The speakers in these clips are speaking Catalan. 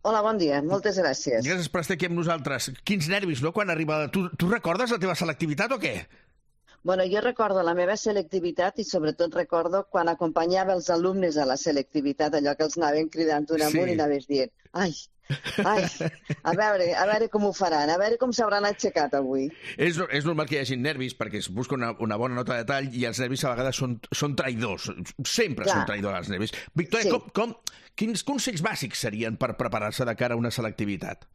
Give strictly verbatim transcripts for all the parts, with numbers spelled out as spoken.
Hola, bon dia. Moltes gràcies. Gràcies per estar aquí amb nosaltres. Quins nervis, no?, quan arriba... Tu, tu recordes la teva selectivitat o què? Bueno, jo recordo la meva selectivitat i sobretot recordo quan acompanyava els alumnes a la selectivitat, allò que els anaven cridant un amunt i anaves dient ai, ai, a veure, a veure com ho faran, a veure com s'hauran aixecat avui. És, és normal que hi hagi nervis perquè es busca una, una bona nota de tall i els nervis a vegades són, són traïdors. Sempre Clar. són traïdors els nervis. Victòria, sí. com, com, quins consells bàsics serien per preparar-se de cara a una selectivitat?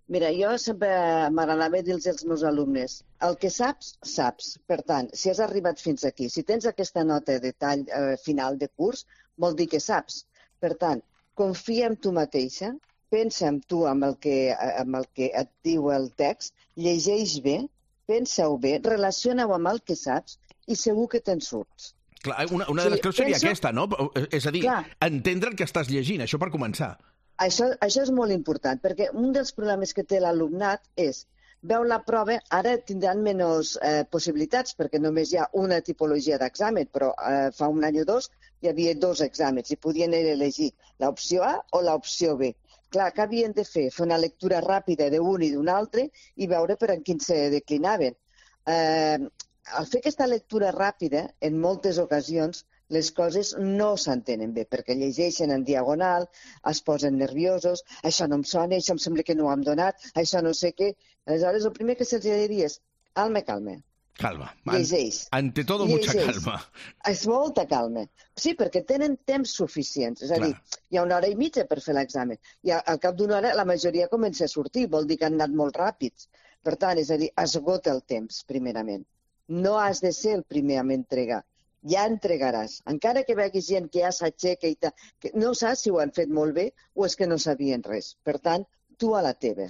Mira, jo sempre m'agradava dir-los als meus alumnes, el que saps, saps. Per tant, si has arribat fins aquí, si tens aquesta nota de tall eh, final de curs, vol dir que saps. Per tant, confia en tu mateixa, pensa en tu amb el que, amb el que et diu el text, llegeix bé, pensa-ho bé, relaciona-ho amb el que saps i segur que te'n surts. Clar, una, una de les creus seria penso... aquesta, no? És a dir, Clar. entendre el que estàs llegint, això per començar. Això, això és molt important, perquè un dels problemes que té l'alumnat és veu la prova, ara tindran menys eh, possibilitats, perquè només hi ha una tipologia d'examen, però eh, fa un any o dos hi havia dos exàmens i podien elegir l'opció A o l'opció B. Clar, què havien de fer? Fer una lectura ràpida d'un i d'un altre i veure per en quin se declinaven. Eh, al fer aquesta lectura ràpida, en moltes ocasions, les coses no s'entenen bé, perquè llegeixen en diagonal, es posen nerviosos, això no em sona, això em sembla que no ho hem donat, això no sé què. Aleshores, el primer que se'ls diria és, calma, calma. Calma. Llegeix. Ante todo, mucha calma. És molta calma. Sí, perquè tenen temps suficients. És a dir, hi ha una hora i mitja per fer l'examen. I al cap d'una hora la majoria comença a sortir, vol dir que han anat molt ràpids. Per tant, és a dir, esgota el temps, primerament. No has de ser el primer a m'entregar. Ja entregaràs. Encara que veguis gent que ja s'aixeca i tal, que no saps si ho han fet molt bé o és que no sabien res. Per tant, tu a la teva.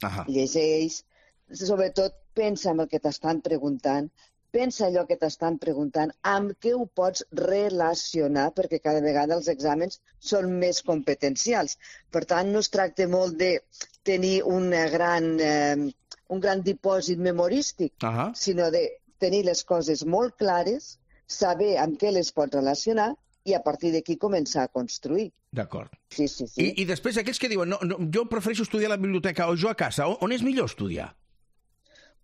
Ahà. Llegeix, sobretot pensa en el que t'estan preguntant, pensa allò que t'estan preguntant, amb què ho pots relacionar, perquè cada vegada els exàmens són més competencials. Per tant, no es tracta molt de tenir una gran, eh, un gran dipòsit memorístic, Ahà. sinó de tenir les coses molt clares, saber amb què les pots relacionar i a partir d'aquí començar a construir. D'acord. Sí, sí, sí. I, I després aquells que diuen, no, no, jo prefereixo estudiar a la biblioteca o jo a casa, on, on és millor estudiar?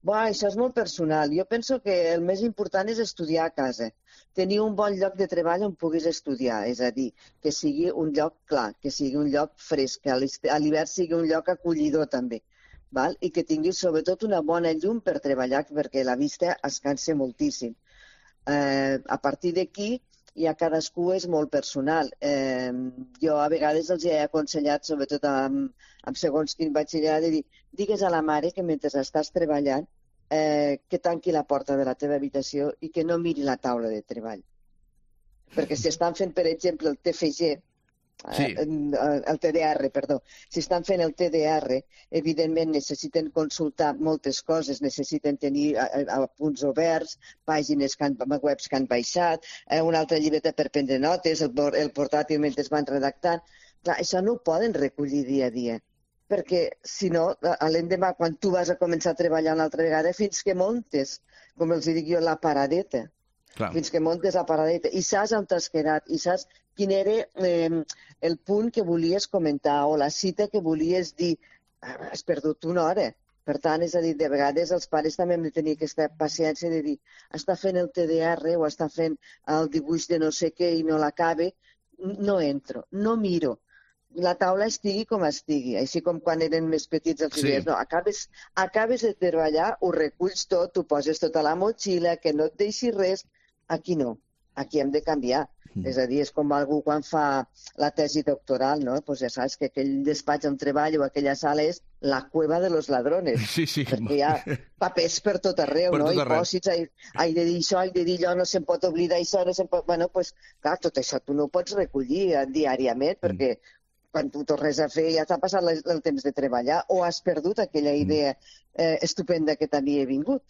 Bé, això és molt personal. Jo penso que el més important és estudiar a casa. Tenir un bon lloc de treball on puguis estudiar, és a dir, que sigui un lloc clar, que sigui un lloc fresc, que a l'hivern sigui un lloc acollidor també, val? I que tinguis sobretot una bona llum per treballar, perquè la vista es cansa moltíssim. Eh, a partir d'aquí ja cadascú és molt personal. Eh, jo a vegades els he aconsellat, sobretot amb, amb segons quin batxillerat, de dir, digues a la mare que mentre estàs treballant eh, que tanqui la porta de la teva habitació i que no miri la taula de treball. Perquè si estan fent, per exemple, el T F G, Sí. el T D R, perdó. Si estan fent el T D R, evidentment necessiten consultar moltes coses, necessiten tenir punts oberts, pàgines que han, webs que han baixat, una altra llibreta per prendre notes, el, el portàtil mentre es van redactant. Clar, això no ho poden recollir dia a dia, perquè si no, l'endemà, quan tu vas a començar a treballar una altra vegada, fins que montes, com els dic jo, la paradeta. Clar. Fins que montes la paradeta i saps on t'has quedat i saps quin era eh, el punt que volies comentar o la cita que volies dir. Has perdut una hora. Per tant, és a dir, de vegades els pares també hem de tenir aquesta paciència de dir està fent el T D R o està fent el dibuix de no sé què i no l'acabe, no entro, no miro. La taula estigui com estigui, així com quan eren més petits els Sí. dies, no, acabes, acabes de treballar, ho reculls tot, ho poses tot a la motxilla, que no et deixi res. Aquí no, aquí hem de canviar. Mm. És a dir, és com algú quan fa la tesi doctoral, no? Pues ja saps que aquell despatx on treballo o aquella sala és la cueva de los ladrones. Sí, sí. Perquè hi ha papers per tot arreu, Per no? tot I arreu. pòsits, hai, hai de dir això, hai de dir allò, no se'n pot oblidar això, no se'n pot... Bueno, pues, clar, tot això tu no ho pots recollir eh, diàriament, Mm. perquè quan tu tornes a fer ja t'ha passat el, el temps de treballar o has perdut aquella idea eh, estupenda que t'havia vingut.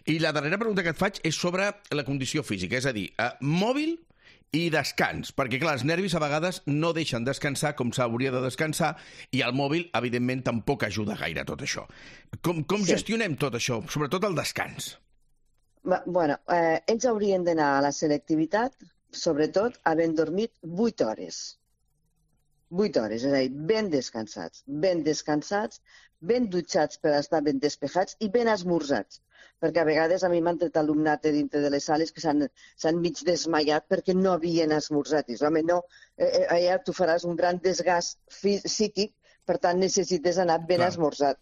I la darrera pregunta que et faig és sobre la condició física, és a dir, eh, mòbil i descans, perquè clar, els nervis a vegades no deixen descansar com s'hauria de descansar i el mòbil, evidentment, tampoc ajuda gaire a tot això. Com, com Sí. gestionem tot això, sobretot el descans? Va- Bueno, eh, ells haurien d'anar a la selectivitat, sobretot havent dormit vuit hores. vuit hores, és a dir, ben descansats, ben descansats, ben dutxats per estar ben despejats i ben esmorzats. Perquè a vegades a mi m'han tret alumnat dintre de les sales que s'han mig desmaiat perquè no havien esmorzat. I dius, home, no, eh, allà tu faràs un gran desgast psíquic, per tant necessites anar ben Clar. esmorzat.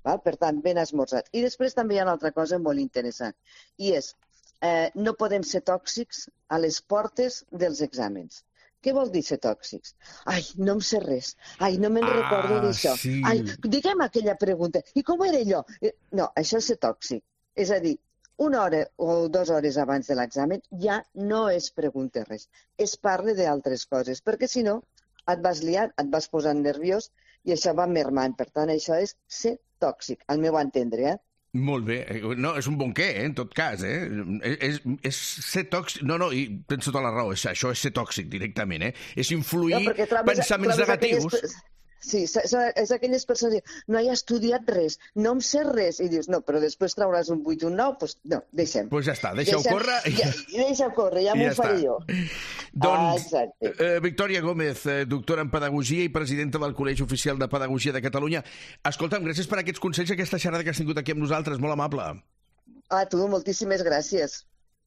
Val? Per tant, ben esmorzat. I després també hi ha una altra cosa molt interessant, i és, eh, no podem ser tòxics a les portes dels exàmens. Què vol dir ser tòxics? Ai, no em sé res. Ai, no me'n Ah, recordo d'això. sí. Ai, digue'm aquella pregunta. I com era allò? Eh, No, això és ser tòxic. És a dir, una hora o dues hores abans de l'examen ja no es pregunta res. Es parla d'altres coses, perquè si no et vas liar, et vas posant nerviós i això va mermant. Per tant, això és ser tòxic, al meu entendre, eh? Molt bé. No, és un bon què, eh, en tot cas, eh? És, és ser tòxic... No, no, i tens tota la raó, això és ser tòxic directament, eh? És influir No, perquè trobes- pensaments trobes negatius. aquelles- Sí, és és aquelles persones que no he estudiat res, no em sé res, i dius, no, però després trauràs un vuit i un nou, doncs no, deixem. Doncs pues ja està, deixa-ho Deixem- córrer. i- Ja, deixa córrer, ja i m'ho ja faré està. jo. Doncs, Ah, exacte. eh, Victòria Gómez, eh, doctora en Pedagogia i presidenta del Col·legi Oficial de Pedagogia de Catalunya. Escolta'm, gràcies per aquests consells, aquesta xerrada que has tingut aquí amb nosaltres, molt amable. A tu, moltíssimes gràcies.